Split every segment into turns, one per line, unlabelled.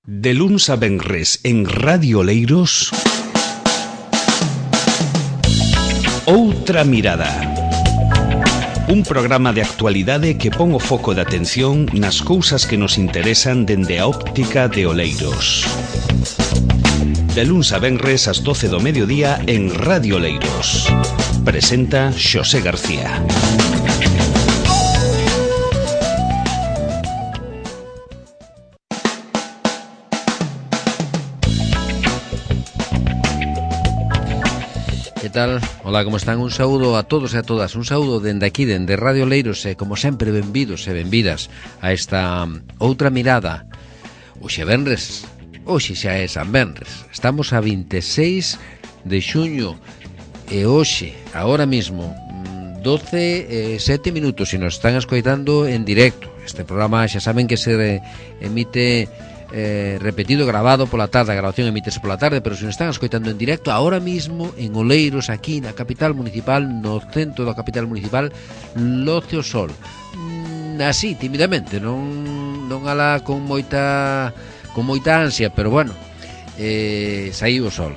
De luns a venres en Radio Oleiros, Outra Mirada. Un programa de actualidade que pon o foco de atención nas cousas que nos interesan dende a óptica de Oleiros. De luns a venres ás 12 do mediodía en Radio Oleiros. Presenta Xosé García.
Que tal? Hola, como están? Un saúdo a todos e a todas. Un saúdo dende aquí, dende Radio Oleiros. E, como sempre, benvidos e benvidas a esta Outra Mirada. Hoxe venres. Hoxe xa é San Venres. Estamos a 26 de xuño. E hoxe, agora mismo, 12 7 minutos, se nos están escoitando en directo. Este programa xa saben que se emite repetido, grabado pola tarde. A grabación emítese pola tarde, pero se nos están escoitando en directo agora mismo en Oleiros, aquí na capital municipal, no centro da capital municipal, loce o sol. Así, tímidamente, non alá con moita ansia, pero bueno, saíu o sol.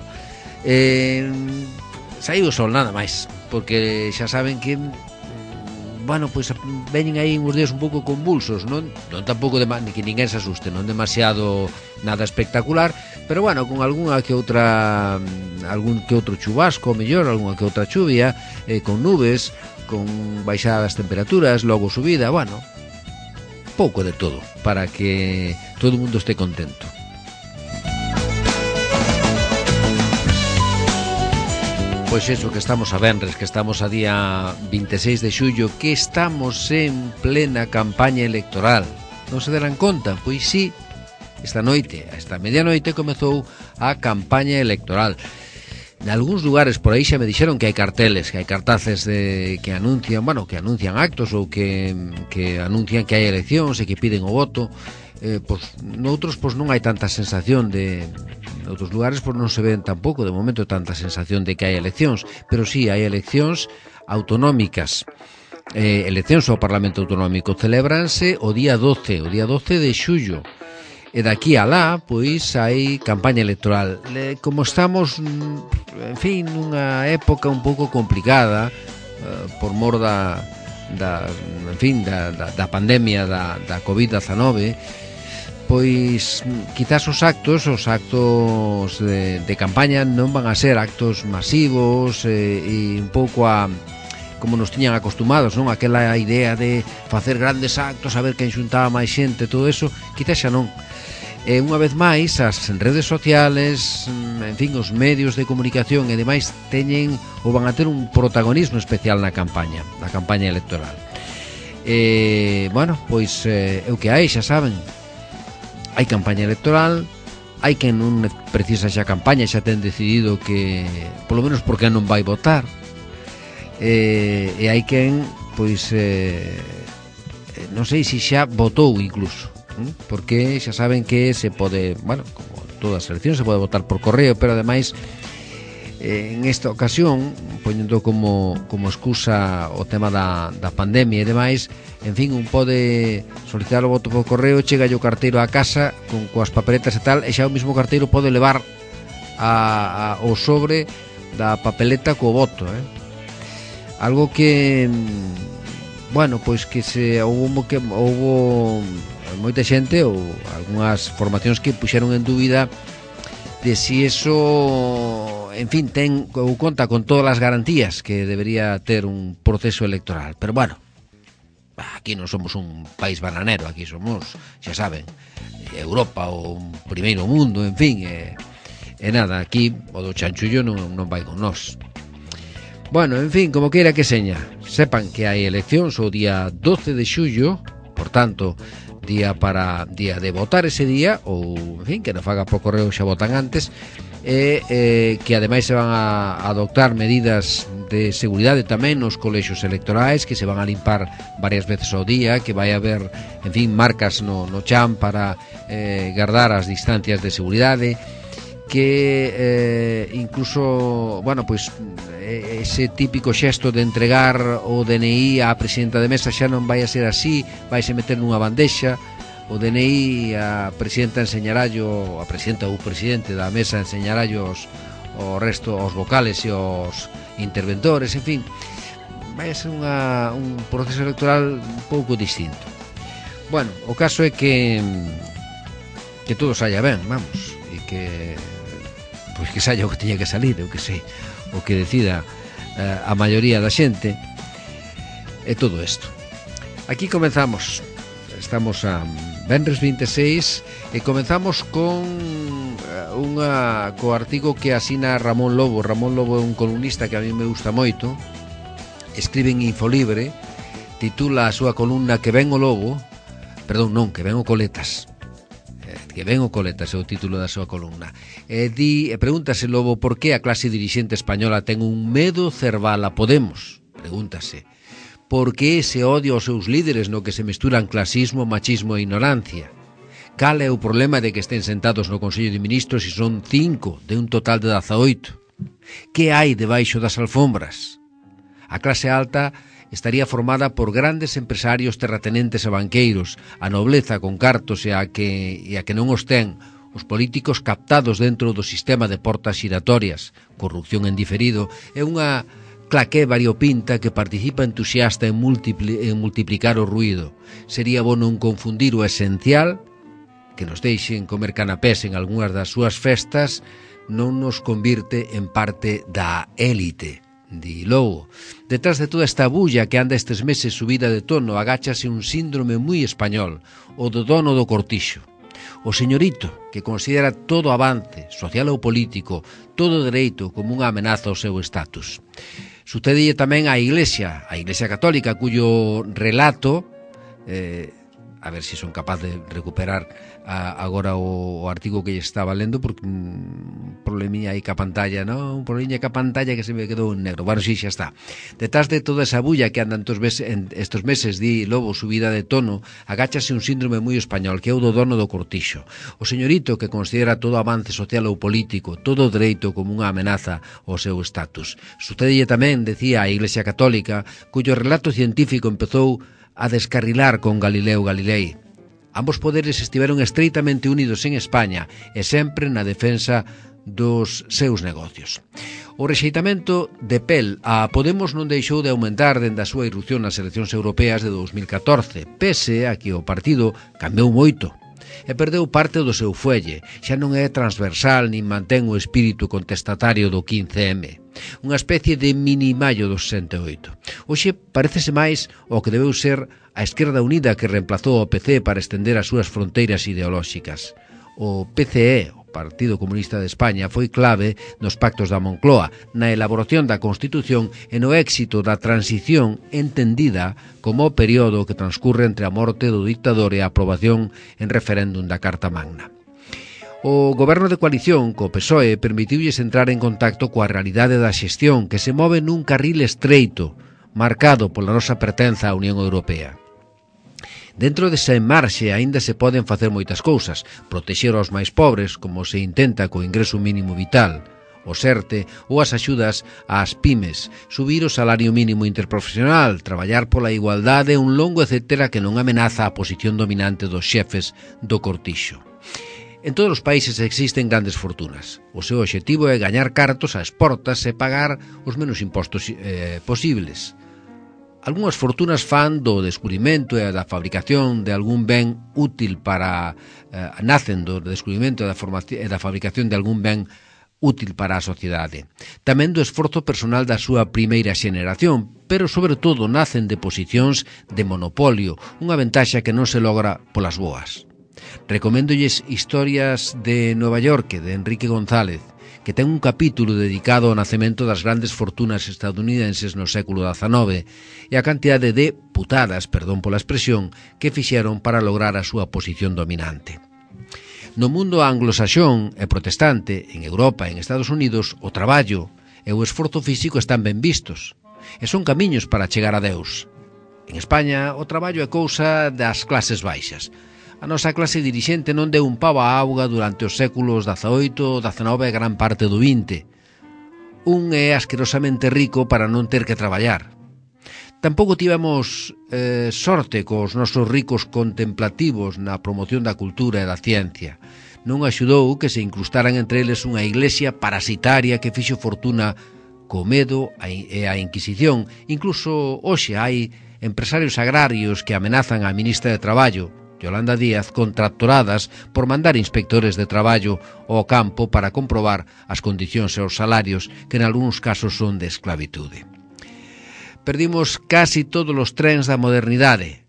Saíu o sol, nada máis, porque xa saben que bueno, pois veñen aí uns días un pouco convulsos, non tampouco que ninguén se asuste, non demasiado nada espectacular, pero bueno, con algún que outro chubasco, mellor, algunha que outra chuvia, con nubes, con baixadas temperaturas, logo subida, bueno, pouco de todo, para que todo o mundo este contento. Pois eso, que estamos a venres, que estamos a día 26 de xullo, que estamos en plena campaña electoral. Non se deran conta? Pois sí, esta medianoite comezou a campaña electoral. En algúns lugares por aí xa me dixeron que hai carteles, que hai cartaces que anuncian actos ou que anuncian que hai eleccións e que piden o voto. Noutros non hai tanta sensación de... Noutros lugares non se ven tampouco de momento tanta sensación de que hai eleccións, pero sí, hai eleccións autonómicas. Eleccións ao Parlamento Autonómico celébranse o día 12 de xullo. E daqui a lá, pois, hai campaña electoral. Como estamos, en fin, nunha época un pouco complicada, por mor da pandemia da COVID-19, pois quizás os actos de campaña non van a ser actos masivos e un pouco como nos tiñan acostumados, non? Aquela idea de facer grandes actos, a ver quen xuntaba máis xente, todo eso, quizás xa non. Unha vez máis, as redes sociales, en fin, os medios de comunicación e demais van a ter un protagonismo especial na campaña electoral. Bueno, pois é o que hai, xa saben. Hai campaña electoral, hai quen non precisa xa campaña, xa ten decidido que, polo menos porque non vai votar, e hai quen, pois, non sei se xa votou incluso, porque xa saben que se pode, bueno, como todas as eleccións, se pode votar por correo, pero ademais, en esta ocasión, poñendo como excusa o tema da pandemia e demais, en fin, un pode solicitar o voto por correo, chega o carteiro á casa coas papeletas e tal, e xa o mismo carteiro pode levar o sobre da papeleta co voto, algo que, bueno, pois que houbo moita xente ou algunhas formacións que puxeron en dúbida de si eso, en fin, ten ou conta con todas as garantías que debería ter un proceso electoral. Pero bueno, aquí non somos un país bananero, aquí somos, xa saben, Europa ou un primeiro mundo, en fin, e nada, aquí o do chanchullo non vai con nós. Bueno, en fin, como queira que seña, sepan que hai eleccións o día 12 de xullo, por tanto, día de votar ese día, ou, en fin, que non faga por correo xa votan antes, que ademais se van a adoptar medidas de seguridade tamén nos colexios electorais, que se van a limpar varias veces ao día, que vai haber, en fin, marcas no chan para guardar as distancias de seguridade, que incluso, bueno, pois ese típico xesto de entregar o DNI á presidenta de mesa xa non vai a ser así, vai se meter nunha bandexa, o DNI, a presidenta enseñarallo, a presidenta ou presidente da mesa enseñarallo o resto, aos vocales e aos interventores, en fin, vai ser un proceso electoral un pouco distinto. Bueno, o caso é que todo saia ben, vamos, e que pois que saia o que tiña que salir, eu que sei, o que decida a maioría da xente, e todo isto. Aquí comenzamos, estamos a venres 26 e comenzamos con co artigo que asina Ramón Lobo. Ramón Lobo é un columnista que a mí me gusta moito, escribe en Infolibre, titula a súa columna Que ven o lobo, perdón, non, Que ven o coletas, Que ven o coletas é o título da súa columna. Pregúntase Lobo por que a clase dirixente española ten un medo cerval a Podemos. Pregúntase por que ese odio aos seus líderes no que se mesturan clasismo, machismo e ignorancia. Cal é o problema de que estén sentados no Consello de Ministros e son 5 de un total de 18? Que hai debaixo das alfombras? A clase alta estaría formada por grandes empresarios, terratenentes e banqueiros, a nobleza con cartos e a que non os ten os políticos captados dentro do sistema de portas xiratorias, corrupción en diferido, é unha claqué variopinta que participa entusiasta en multiplicar o ruído. Sería bo non confundir o esencial, que nos deixen comer canapés en algunhas das súas festas, non nos convirte en parte da élite. Di Lobo. Detrás de toda esta bulla que anda estes meses subida de tono, agáchase un síndrome moi español, o do dono do cortixo. O señorito que considera todo avance, social ou político, todo dereito como unha amenaza ao seu estatus. Sucedelle tamén á Iglesia Católica, cuyo relato, a ver se son capaz de recuperar agora o artigo que lle estaba lendo, porque un probleminha aí ca pantalla, non? Un probleminha ca pantalla que se me quedou en negro. Bueno, sí, xa está. Detrás de toda esa bulla que andan estos meses, di Lobo, subida de tono, agáchase un síndrome moi español, que é o do dono do cortixo. O señorito que considera todo avance social ou político, todo dereito como unha amenaza ao seu estatus. Sucedelle tamén, decía a Iglesia Católica, cuyo relato científico empezou a descarrilar con Galileo Galilei. Ambos poderes estiveron estreitamente unidos en España e sempre na defensa dos seus negocios. O rexeitamento de pel a Podemos non deixou de aumentar dende a súa irrupción nas eleccións europeas de 2014, pese a que o partido cambiou moito e perdeu parte do seu fuelle, xa non é transversal nin mantén o espírito contestatario do 15M. Unha especie de mini maio do 68. Hoxe parecese máis o que debeu ser a Esquerda Unida que reemplazou ao PC para estender as súas fronteiras ideolóxicas. O PCE, o Partido Comunista de España, foi clave nos pactos da Moncloa, na elaboración da Constitución e no éxito da transición entendida como o período que transcurre entre a morte do dictador e a aprobación en referéndum da Carta Magna. O goberno de coalición co PSOE permitiulles entrar en contacto coa realidade da xestión que se move nun carril estreito, marcado pola nosa pertenza á Unión Europea. Dentro desa marxe aínda se poden facer moitas cousas, protexer aos máis pobres, como se intenta co ingreso mínimo vital, o SERTE ou as axudas ás pymes, subir o salario mínimo interprofesional, traballar pola igualdade, un longo etcétera que non amenaza a posición dominante dos xefes do cortixo. En todos os países existen grandes fortunas. O seu obxectivo é gañar cartos ás portas e pagar os menos impostos posibles. Algúnas fortunas fan do descubrimento e da fabricación de algún ben útil para... nacen do descubrimento e da fabricación de algún ben útil para a sociedade. Tamén do esforzo personal da súa primeira xeneración, pero sobre todo nacen de posicións de monopolio, unha ventaxa que non se logra polas boas. Recoméndolles Historias de Nova York, de Enrique González, que ten un capítulo dedicado ao nacemento das grandes fortunas estadounidenses no século XIX e a cantidade de putadas, perdón pola expresión, que fixeron para lograr a súa posición dominante. No mundo anglosaxón e protestante, en Europa e en Estados Unidos, o traballo e o esforzo físico están ben vistos e son camiños para chegar a Deus. En España, o traballo é cousa das clases baixas. A nosa clase dirixente non deu un pavo á auga durante os séculos XVIII, XIX e gran parte do XX. Un é asquerosamente rico para non ter que traballar. Tampouco tivemos sorte cos nosos ricos contemplativos na promoción da cultura e da ciencia. Non axudou que se incrustaran entre eles unha iglesia parasitaria que fixo fortuna co medo e a Inquisición. Incluso hoxe hai empresarios agrarios que amenazan a ministra de Traballo, Yolanda Díaz, con tractoradas por mandar inspectores de traballo ao campo para comprobar as condicións e os salarios que en algúns casos son de esclavitude. Perdimos casi todos os trens da modernidade.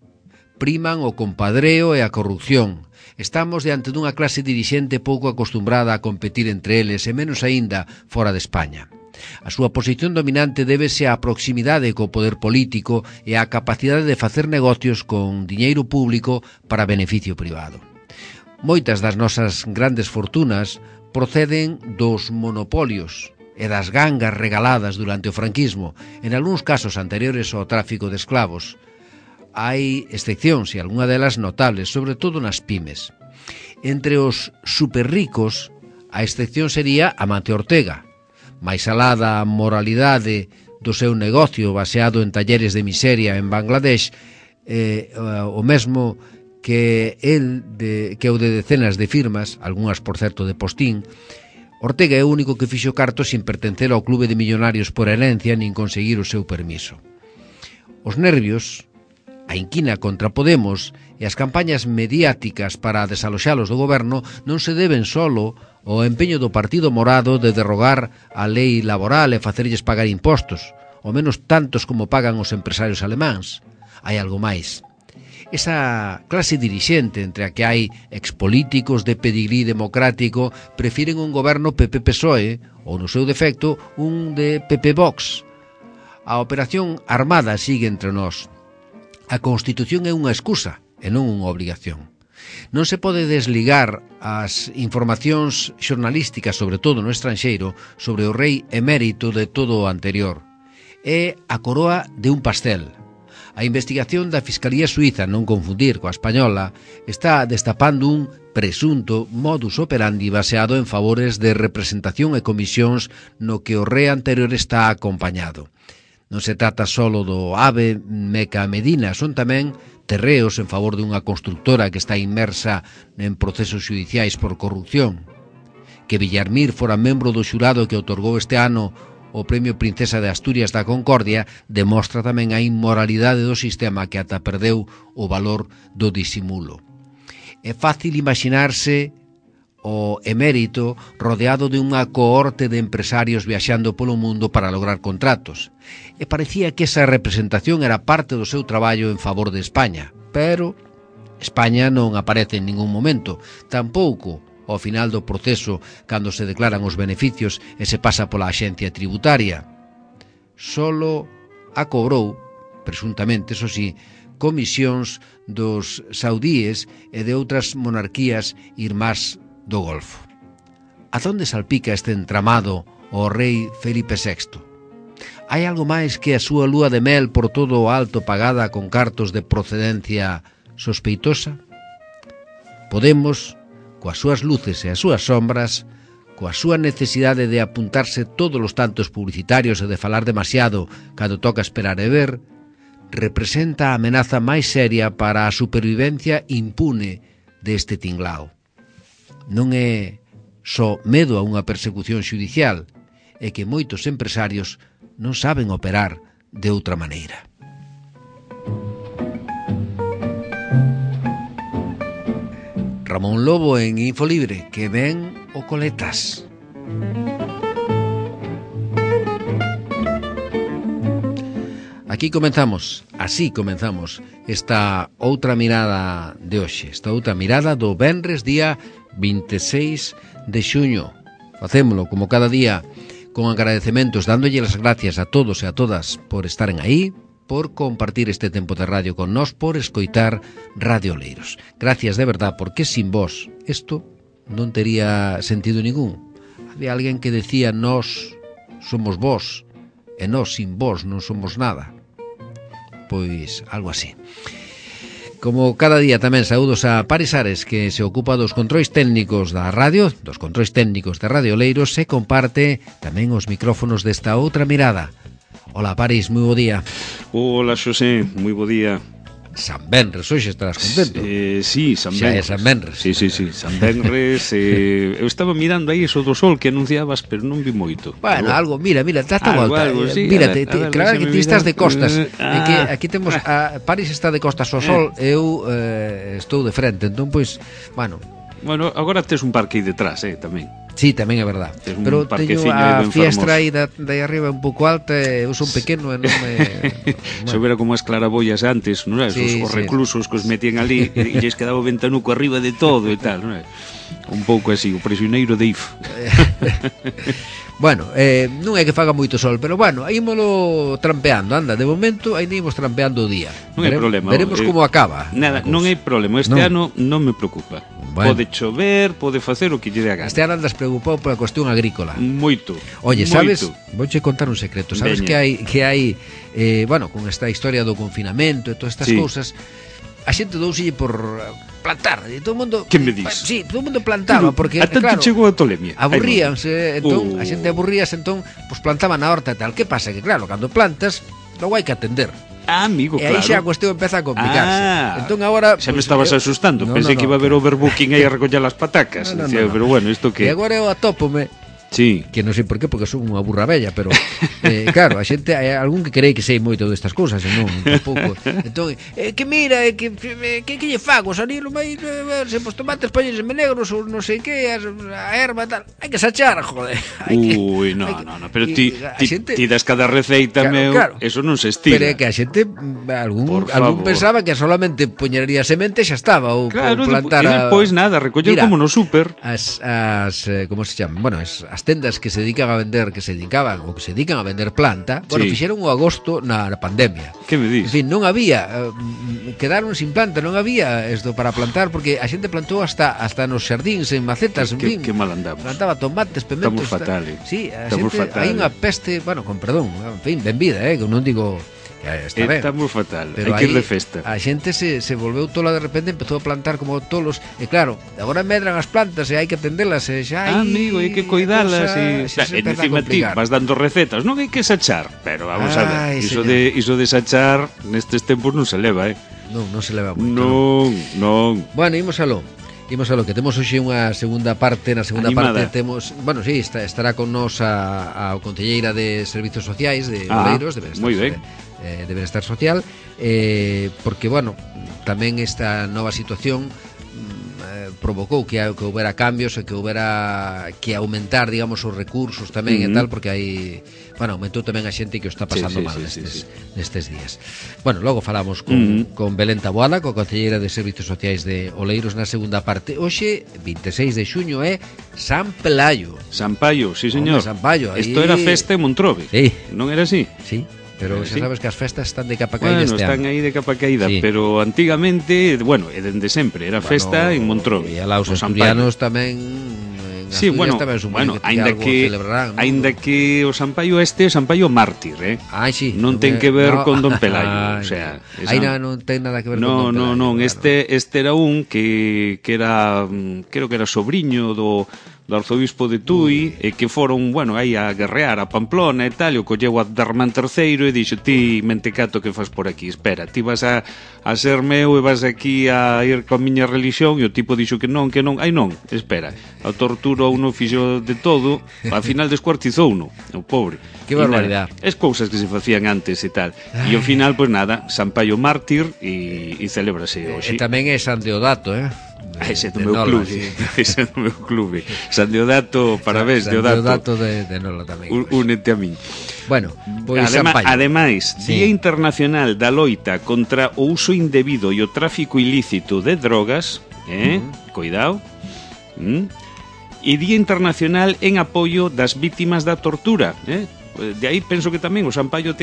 Priman o compadreo e a corrupción. Estamos diante dunha clase dirixente pouco acostumbrada a competir entre eles e menos aínda fora de España. A súa posición dominante débese á proximidade co poder político e á capacidade de facer negocios con diñeiro público para beneficio privado. Moitas das nosas grandes fortunas proceden dos monopolios e das gangas regaladas durante o franquismo, en algúns casos anteriores ao tráfico de esclavos. Hai excepcións e algunha delas notables, sobre todo nas pymes. Entre os superricos, a excepción sería Amancio Ortega, máis alá da moralidade do seu negocio baseado en talleres de miseria en Bangladesh, o mesmo que o de decenas de firmas, algunhas por certo de postín. Ortega é o único que fixo carto sin pertencer ao clube de millonarios por herencia nin conseguir o seu permiso. Os nervios, a inquina contra Podemos e as campañas mediáticas para desaloxalos do goberno non se deben solo ao empeño do Partido Morado de derrogar a lei laboral e facerlles pagar impostos, ao menos tantos como pagan os empresarios alemáns. Hai algo máis. Esa clase dirixente entre a que hai expolíticos de pedigrí democrático prefiren un goberno PP-PSOE ou, no seu defecto, un de PP-Vox. A operación armada sigue entre nós. A Constitución é unha excusa e non unha obrigación. Non se pode desligar as informacións xornalísticas, sobre todo no estranxeiro, sobre o rei emérito de todo o anterior. É a coroa de un pastel. A investigación da Fiscalía Suíza, non confundir coa española, está destapando un presunto modus operandi baseado en favores de representación e comisións no que o rei anterior está acompañado. Non se trata solo do AVE Meca Medina, son tamén terreos en favor dunha constructora que está inmersa en procesos judiciais por corrupción. Que Villarmir fora membro do xurado que outorgou este ano o Premio Princesa de Asturias da Concordia demostra tamén a inmoralidade do sistema que ata perdeu o valor do disimulo. É fácil imaginarse o emérito rodeado de unha cohorte de empresarios viaxando polo mundo para lograr contratos. E parecía que esa representación era parte do seu traballo en favor de España. Pero España non aparece en ningún momento, tampouco ao final do proceso cando se declaran os beneficios e se pasa pola axencia tributaria. Solo a cobrou, presuntamente, eso sí, comisións dos saudíes e de outras monarquías irmás do Golfo. A onde salpica este entramado o rei Felipe VI? Hai algo máis que a súa lúa de mel por todo o alto pagada con cartos de procedencia sospeitosa? Podemos, coas súas luces e as súas sombras, coa súa necesidade de apuntarse todos os tantos publicitarios e de falar demasiado cando toca esperar e ver, representa a amenaza máis seria para a supervivencia impune deste tinglao. Non é só medo a unha persecución xudicial, é que moitos empresarios non saben operar de outra maneira. Ramón Lobo en Infolibre, que ven o Coletas. Aquí comenzamos, así comenzamos esta outra mirada de hoxe, esta outra mirada do venres día 26 de xuño. Facémolo como cada día con agradecementos, dándolle as gracias a todos e a todas por estaren aí, por compartir este tempo de radio con nós, por escoitar Radio Oleiros. Gracias de verdad, porque sin vos isto non tería sentido ningún. Había alguén que decía nós somos vos e nós sin vos non somos nada. Pois algo así. Como cada día tamén saúdos a Paris Ares, que se ocupa dos controis técnicos da radio, dos controis técnicos de Radio Oleiros, e comparte tamén os micrófonos desta outra mirada. Hola, París, moi bo día.
Hola, Xosé, moi bo día.
San Benres, hoxe estarás contento.
Sí, San Benres.
Xa é San Benres.
Sí, San Benres. Eu estaba mirando aí eso do sol que anunciabas, pero non vi moito.
Bueno, algo, mira, date volta.
Sí,
mira,
claro
que ti estás de costas. Que aquí temos París está de costas ao sol, eu estou de frente, entón pois, bueno,
agora tes un parque aí detrás, tamén.
Sí, tamén é verdad. Pero teño a fiestra aí de arriba un pouco alta, eu son pequeno e non me...
Se vera como as claraboias antes, non é? Os reclusos que os metían ali e lles quedaba o ventanuco arriba de todo e tal, non é? Un pouco así, o prisioneiro de If. Bueno, non é que faga moito sol, pero bueno, ímolo trampeando, anda, de momento aí ímos trampeando o día. Non hai problema. Veremos como acaba. Nada, non hai problema, este ano non me preocupa. Pode chover, pode facer o que lle dé a gana. Este ano andas preocupado pola cuestión agrícola. Moito. Oye, sabes, vouche contar un secreto. Sabes que hai bueno, con esta historia do confinamento e todas estas cousas, a xente douselle por plantar, e todo o mundo... Que me dis? Sí, todo o mundo plantaba, porque, a tanto chegou a tolemia. Aburríanse, entón, a xente aburríase, entón, pues plantaba na horta e tal. Que pasa? Que claro, cando plantas, logo hai que atender. Amigo, claro. E aí xa a cuestión empeza a complicarse. Entón agora... Xa me estabas asustando, pensei que iba a haber overbooking aí a recoller as patacas. Pero bueno, isto que... E agora eu atópome... Sí. Que non sei por qué, porque son unha burra bella, pero claro, a xente hai algún que cree que sei moito destas cousas, non, tampouco. Entón, que mira, que lle fago, salilo máis, se os tomates poñense negros ou non sei que, a erva tal, hai que sachar, joder. Ui, no, pero ti das cada receita, meu, eso non se estira. Pero é que a xente, algún pensaba que solamente poñería semente e xa estaba, ou plantar... Claro, e depois nada, recoller como no súper. Como se chama? Bueno, as tendas que se dedican a vender, que se dedican a vender planta, bueno, fixeron o agosto na pandemia. Que me dis? En fin, non había, quedaron sin planta, non había isto para plantar, porque a xente plantou hasta nos xardíns, en macetas, en fin. Que mal andamos. Plantaba tomates, pementos. Estamos fatales. Sí, a xente, hai unha peste, bueno, con perdón, en fin, ben vida, que non digo... Estamos fatal, hai que ir de festa. A xente se volveu tola de repente, empezou a plantar como tolos. E claro, agora medran as plantas e hai que atendelas e xa hai... Amigo, hai que cuidalas e encima ti vas dando recetas. Non hai que sachar, pero vamos a ver, iso de sachar nestes tempos non se leva, Non se leva moito. Non. Bueno, imos a lo que temos hoxe unha segunda parte. Na segunda parte temos, bueno, sí, estará con nos a concelleira de Servizos Sociais de Oleiros, de Benestar Social, porque, bueno, tamén esta nova situación provocou que houbera cambios e que houbera que aumentar, digamos, os recursos tamén e tal, porque hai, bueno, aumentou tamén a xente que o está pasando mal nestes días. Bueno, logo falamos con Belén Taboada, coa concelleira de Servizos Sociais de Oleiros na segunda parte. Hoxe, 26 de xuño, é San Pelayo. San Paio, sí, señor. Isto era festa en Montrobe, non era así? Sí. Pero xa sabes que as festas están de capa caída este ano. Están aí de capa caída, pero antigamente, bueno, e dende sempre, era festa en Montrobe. E alá os asturianos tamén... Sí, bueno, aínda que o San Paio este é San Paio mártir, sí, non ten que ver con Don Pelayo, o sea, non ten nada que ver con Don Pelayo. Non, este era un que era, creo que era sobriño do arzobispo de Tui, e que foron, bueno, aí a guerrear a Pamplona e tal, e o colleu a Darmán III e dixo: ti, mentecato, que fas por aquí? Espera, ti vas a ser meu e vas aquí a ir coa miña religión. E o tipo dixo que non, ai non, espera, a tortura uno fixo de todo, ao final descuartizou uno, o pobre. Que barbaridade. Es cousas que se facían antes e tal. E ao final, pois nada, San Paio mártir e celébrase hoxe. E tamén é San Deodato, ese do meu clube, ese do meu clube. San Deodato, parabéns, Deodato de Nola tamén. Únete a min. Bueno, pois ademais, Día Internacional da Loita contra o uso indebido e o tráfico ilícito de drogas, cuidado. E Día Internacional en apoio das vítimas da tortura, De aí penso que tamén o San Paio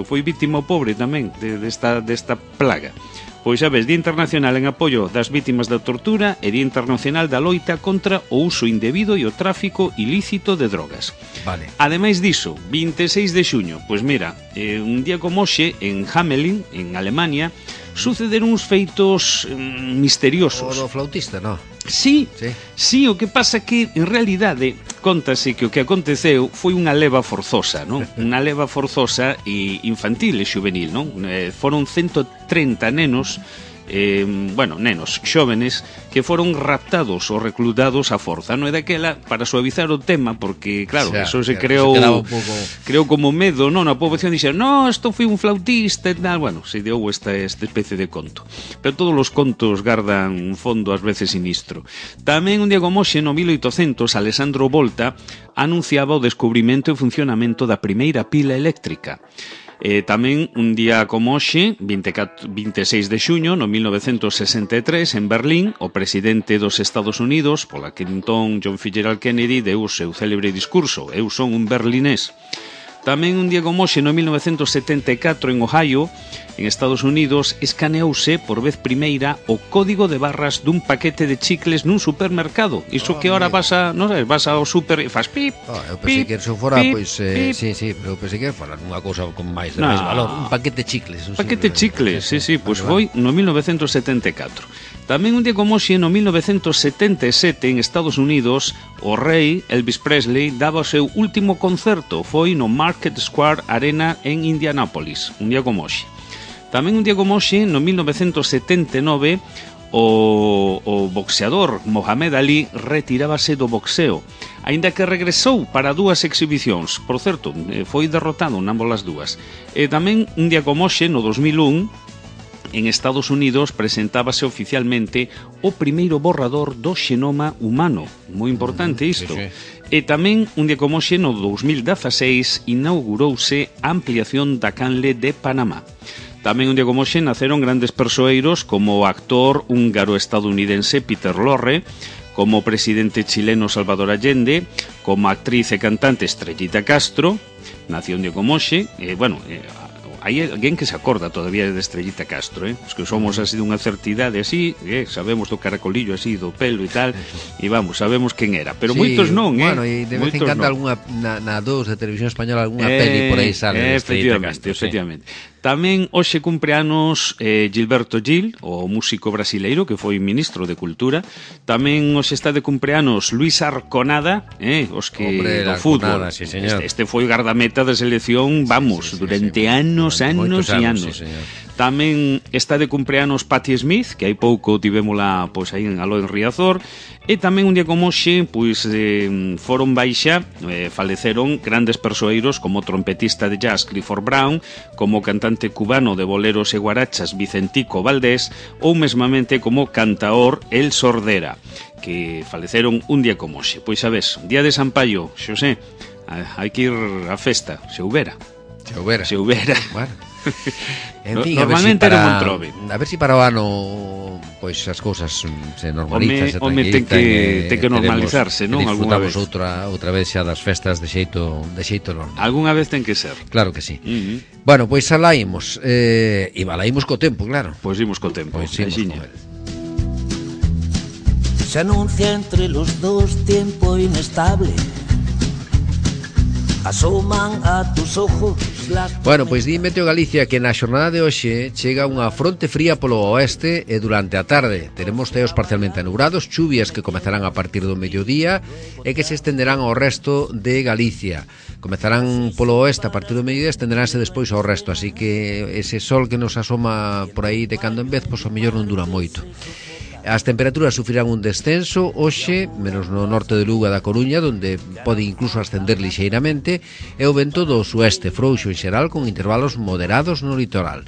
foi vítima o pobre tamén desta plaga. Pois sabes, Día Internacional en apoio das vítimas da tortura e Día Internacional da loita contra o uso indebido e o tráfico ilícito de drogas. Vale. Ademais diso, 26 de xuño, pois mira, un día como hoxe, en Hamelin, en Alemania, sucederon uns feitos misteriosos. O do flautista, non? Sí, o que pasa que, en realidade, Cóntase que o que aconteceu foi unha leva forzosa, non? Unha leva forzosa e infantil e xuvenil, non? Foron 130 nenos, nenos xóvenes que foron raptados ou reclutados a forza, non é daquela para suavizar o tema, porque claro, eso se creou como medo, non, a poboación dixeron, no, isto foi un flautista e tal, bueno, se deu esta especie de conto, pero todos os contos gardan un fondo ás veces sinistro. Tamén un día como hoxe, no 1800, Alessandro Volta anunciaba o descubrimento e funcionamento da primeira pila eléctrica. Tamén un día como hoxe, 26 de xuño, no 1963, en Berlín, o presidente dos Estados Unidos, pola que entón John Fitzgerald Kennedy, deu o seu célebre discurso, eu son un berlinés. Tamén un día como hoxe, no 1974, en Ohio, en Estados Unidos, escaneouse por vez primeira o código de barras dun paquete de chicles nun supermercado. Iso que ahora vas ao super e fas pip,
eu pensei que eso fora, pois, sí, pero eu pensei que fora unha cousa con máis valor, un paquete de chicles.
Paquete de chicles, sí, pois foi no 1974. Tamén un día como hoxe, no 1977, en Estados Unidos, o rei Elvis Presley daba o seu último concerto, foi no Market Square Arena en Indianápolis, un día como hoxe. Tamén un día como hoxe, no 1979, o boxeador Mohamed Ali retirábase do boxeo, aínda que regresou para 2 exhibicións. Por certo, foi derrotado en ambas as dúas. E tamén un día como hoxe, no 2001, en Estados Unidos presentábase oficialmente o primeiro borrador do xenoma humano. Moi importante isto. Sí. E tamén, un día como hoxe, no 2016, inaugurouse a ampliación da canle de Panamá. Tamén un día como hoxe naceron grandes persoeiros como o actor húngaro-estadounidense Peter Lorre, como o presidente chileno Salvador Allende, como a actriz e cantante Estrellita Castro, nació un día como hoxe, hai alguén que se acorda todavía de Estrellita Castro, os que somos así dunha certidade así, sabemos do caracolillo así, do pelo e tal, e vamos, sabemos quen era, pero sí, moitos non,
Bueno, e de vez en cando algunha na 2 de televisión española algunha peli por aí sale de Estrellita Castro.
Efectivamente. Tamén hoxe cumpre anos Gilberto Gil, o músico brasileiro que foi ministro de Cultura. Tamén hoxe está de cumpleanos Luis Arconada, os que do fútbol. Sí, este foi gardameta da selección, vamos, durante anos e anos. Sí, tamén está de cumpleanos Patti Smith, que hai pouco tivémola pois aí en Aló en Riazor. E tamén un día como hoxe, pois foron baixa, faleceron grandes persoeiros como o trompetista de jazz Clifford Brown, como o cantante cubano de boleros e guarachas Vicentico Valdés, ou mesmamente como o cantaor El Sordera, que faleceron un día como hoxe. Pois sabes, día de San Paio, Xosé, hai que ir á festa, se houbera. Bueno.
En fin,
normalmente era Montrove.
A ver si para o ano pois as cousas se normalizan, se
tranquilizan, ten que normalizarse, non?
Disfrutamos outra vez xa das festas de xeito normal.
Algúnha vez ten que ser.
Claro que sí. Bueno, pois alaímos, e balaímos co tempo, claro.
Pois imos co tempo.
Se
anuncia entre los dos tiempo inestable. Asoman a tus ojos.
Bueno, pois di Meteo Galicia que na xornada de hoxe chega unha fronte fría polo oeste e durante a tarde teremos ceos parcialmente anubrados, chuvias que comezarán a partir do mediodía e que se estenderán ao resto de Galicia. Comezarán polo oeste a partir do mediodía e estenderánse despois ao resto, así que ese sol que nos asoma por aí de cando en vez, pois ao mellor non dura moito. As temperaturas sufrirán un descenso hoxe, menos no norte de Lugo e da Coruña, onde pode incluso ascender lixeiramente, e o vento do sueste frouxo en xeral con intervalos moderados no litoral.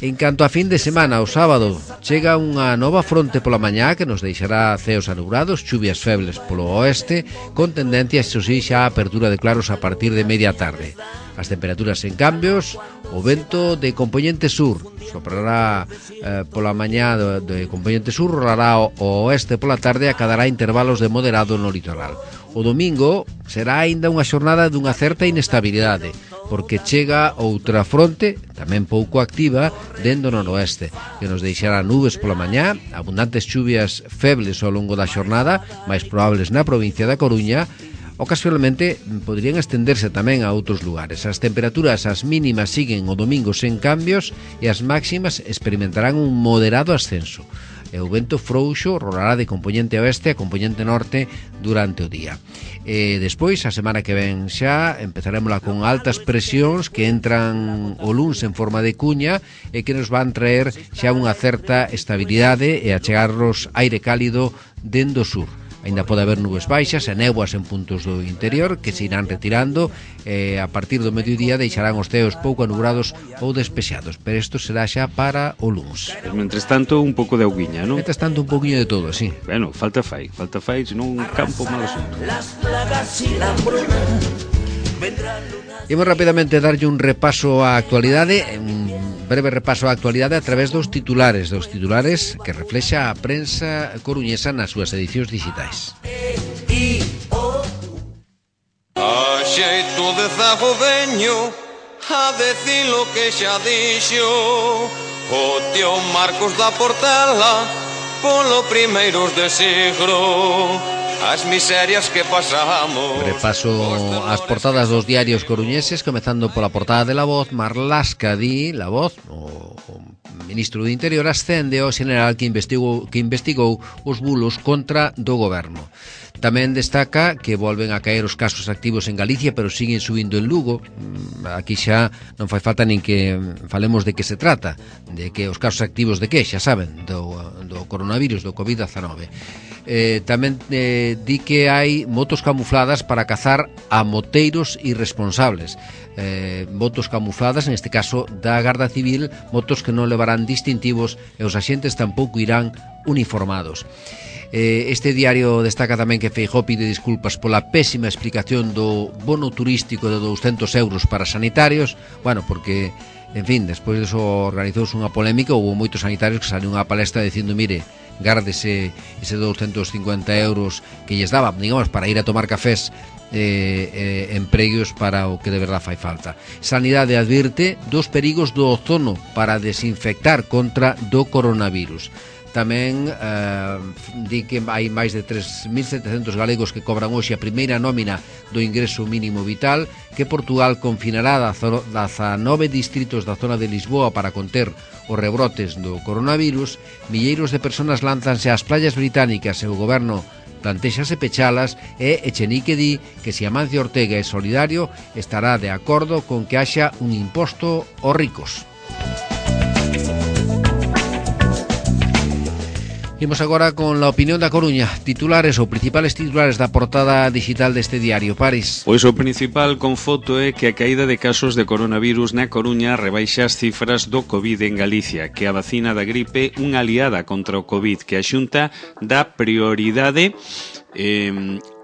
En canto a fin de semana, o sábado, chega unha nova fronte pola mañá que nos deixará ceos anubrados, chuvias febles polo oeste, con tendencia, xo si, xa a apertura de claros a partir de media tarde. As temperaturas en cambios, o vento de compoñente sur soprará pola mañá de compoñente sur, rolará ao oeste pola tarde e acadará intervalos de moderado no litoral. O domingo será aínda unha xornada dunha certa inestabilidade, porque chega outra fronte, tamén pouco activa, dentro do noroeste, que nos deixará nubes pola mañá, abundantes chuvias febles ao longo da xornada, máis probables na provincia da Coruña. Ocasionalmente poderían estenderse tamén a outros lugares. As temperaturas, as mínimas, siguen o domingo sen cambios e as máximas experimentarán un moderado ascenso. e o vento frouxo rolará de componente oeste a componente norte durante o día. Despois, a semana que ven xa, empezaremos con altas presións que entran o luns en forma de cuña e que nos van traer xa unha certa estabilidade e achegarnos aire cálido dende o sur. Ainda pode haber nubes baixas e néboas en puntos do interior que se irán retirando e a partir do mediodía deixarán os ceos pouco anubrados ou despexados, pero isto será xa para o luns.
Mentres tanto, un pouco de auguiña, non?
Mentres tanto, un pouquinho de todo, sí.
Bueno, falta fai, senón un campo mal asunto.
Imos rapidamente darlle un repaso á actualidade, un breve repaso á actualidade a través dos titulares que reflexa a prensa coruñesa nas súas edicións digitais.
A xeito de zago veño a decir lo que xa dixo o tío Marcos da Portela polo primeiros de siglo. As miserias que pasamos.
Repaso as portadas dos diarios coruñeses, comezando pola portada de La Voz. Marlaska di, La Voz, o ministro do Interior, ascende ao general que investigou os bulos contra do goberno. Tamén destaca que volven a caer os casos activos en Galicia, pero siguen subindo en Lugo. Aquí xa non fai falta nin que falemos de que se trata, de que os casos activos de que, xa saben, do coronavirus, do COVID-19. Tamén di que hai motos camufladas para cazar a moteiros irresponsables. Motos camufladas, neste caso da Garda Civil, motos que non levarán distintivos e os axentes tampouco irán uniformados. Este diario destaca tamén que Feijóo pide disculpas pola pésima explicación do bono turístico de 200 euros para sanitarios, bueno, porque, en fin, despois diso organizouse unha polémica, houve moitos sanitarios que saliu unha palestra dicindo, mire, gárdese ese 250 euros que lles daba, digamos, para ir a tomar cafés empregos para o que de verdad fai falta. Sanidade advirte dos perigos do ozono para desinfectar contra do coronavirus. Tamén di que hai máis de 3.700 galegos que cobran hoxe a primeira nómina do ingreso mínimo vital, que Portugal confinará 19 distritos da zona de Lisboa para conter os rebrotes do coronavirus. Milleiros de persoas lánzanse ás playas británicas e o goberno plantexase pechalas e Echenique di que se Amancio Ortega é solidario estará de acordo con que haxa un imposto aos ricos. Imos agora con la opinión da Coruña. Titulares ou principales titulares da portada digital deste diario, Paris.
Pois o principal con foto é que a caída de casos de coronavirus na Coruña rebaixa as cifras do COVID en Galicia, que a vacina da gripe unha aliada contra o COVID, que a Xunta dá prioridade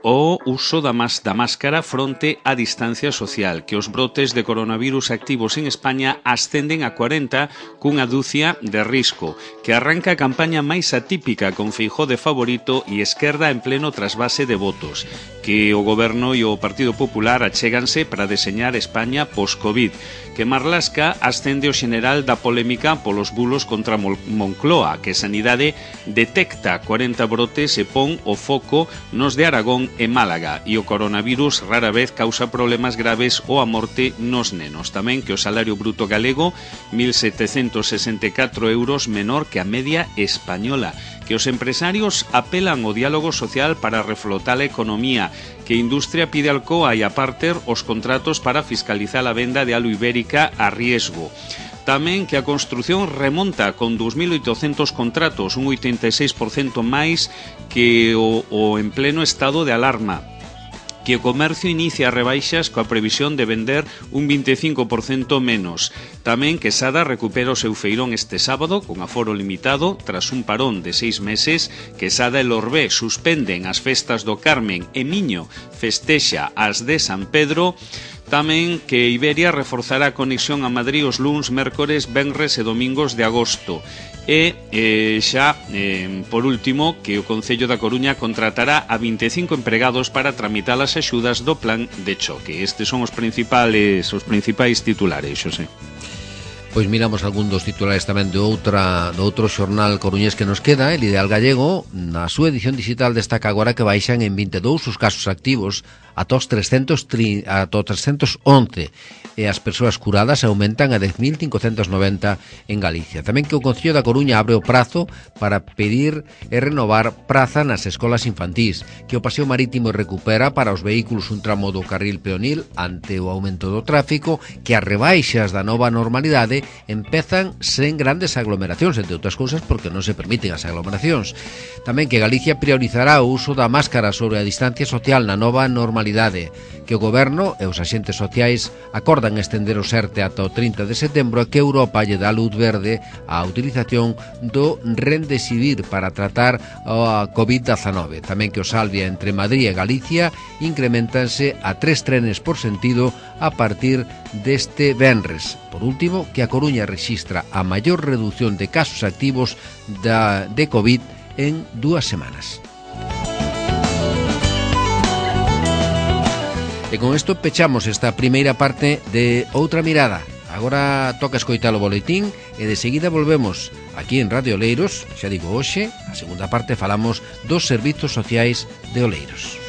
o uso da máscara fronte á distancia social, que os brotes de coronavirus activos en España ascenden a 40 cunha dúcia de risco, que arranca a campaña máis atípica con Feijóo de favorito e Esquerda en pleno trasvase de votos, que o Goberno e o Partido Popular achéganse para deseñar España post-Covid, que Marlaska ascende o xeneral da polémica polos bulos contra Moncloa, que Sanidade detecta 40 brotes e pon o foco nos de Aragón e Málaga, e o coronavirus rara vez causa problemas graves ou a morte nos nenos. Tamén que o salario bruto galego 1.764 euros menor que a media española, que os empresarios apelan ao diálogo social para reflotar a economía, que a industria pide al COA e a Parter os contratos para fiscalizar a venda de alu ibérica a riesgo. Tamén que a construción remonta con 2.800 contratos, un 86% máis que o en pleno estado de alarma, que o comercio inicia rebaixas coa previsión de vender un 25% menos. Tamén que Sada recupera o seu feirón este sábado con aforo limitado tras un parón de 6 meses, que Sada e Lorbé suspenden as festas do Carmen e Miño festexa as de San Pedro. Tamén que Iberia reforzará a conexión a Madrid os luns, mércores, venres e domingos de agosto. E por último, que o Concello da Coruña contratará a 25 empregados para tramitar as axudas do plan de choque. Estes son os principais titulares, Xosé.
Pois miramos algún dos titulares tamén do outro xornal coruñés que nos queda. El Ideal Gallego, na súa edición digital, destaca agora que baixan en 22 os casos activos ata os 311 e as persoas curadas aumentan a 10.590 en Galicia. Tamén que o Concello da Coruña abre o prazo para pedir e renovar praza nas escolas infantís, que o Paseo Marítimo recupera para os vehículos un tramo do carril peonil ante o aumento do tráfico, que as rebaixas da nova normalidade empezan sen grandes aglomeracións, entre outras cousas porque non se permiten as aglomeracións. Tamén que Galicia priorizará o uso da máscara sobre a distancia social na nova normalidade, que o Goberno e os axentes sociais acordan estender o ERTE ata o 30 de setembro e que Europa lle dá luz verde á utilización do Remdesivir para tratar a COVID-19. Tamén que o Salvia entre Madrid e Galicia incrementanse a 3 trenes por sentido a partir deste venres. Por último, que a Coruña rexistra a maior reducción de casos activos de COVID en 2 semanas. E con isto pechamos esta primeira parte de Outra Mirada. Agora toca escoitar o boletín e de seguida volvemos aquí en Radio Oleiros. Xa digo, hoxe, a segunda parte falamos dos servizos sociais de Oleiros.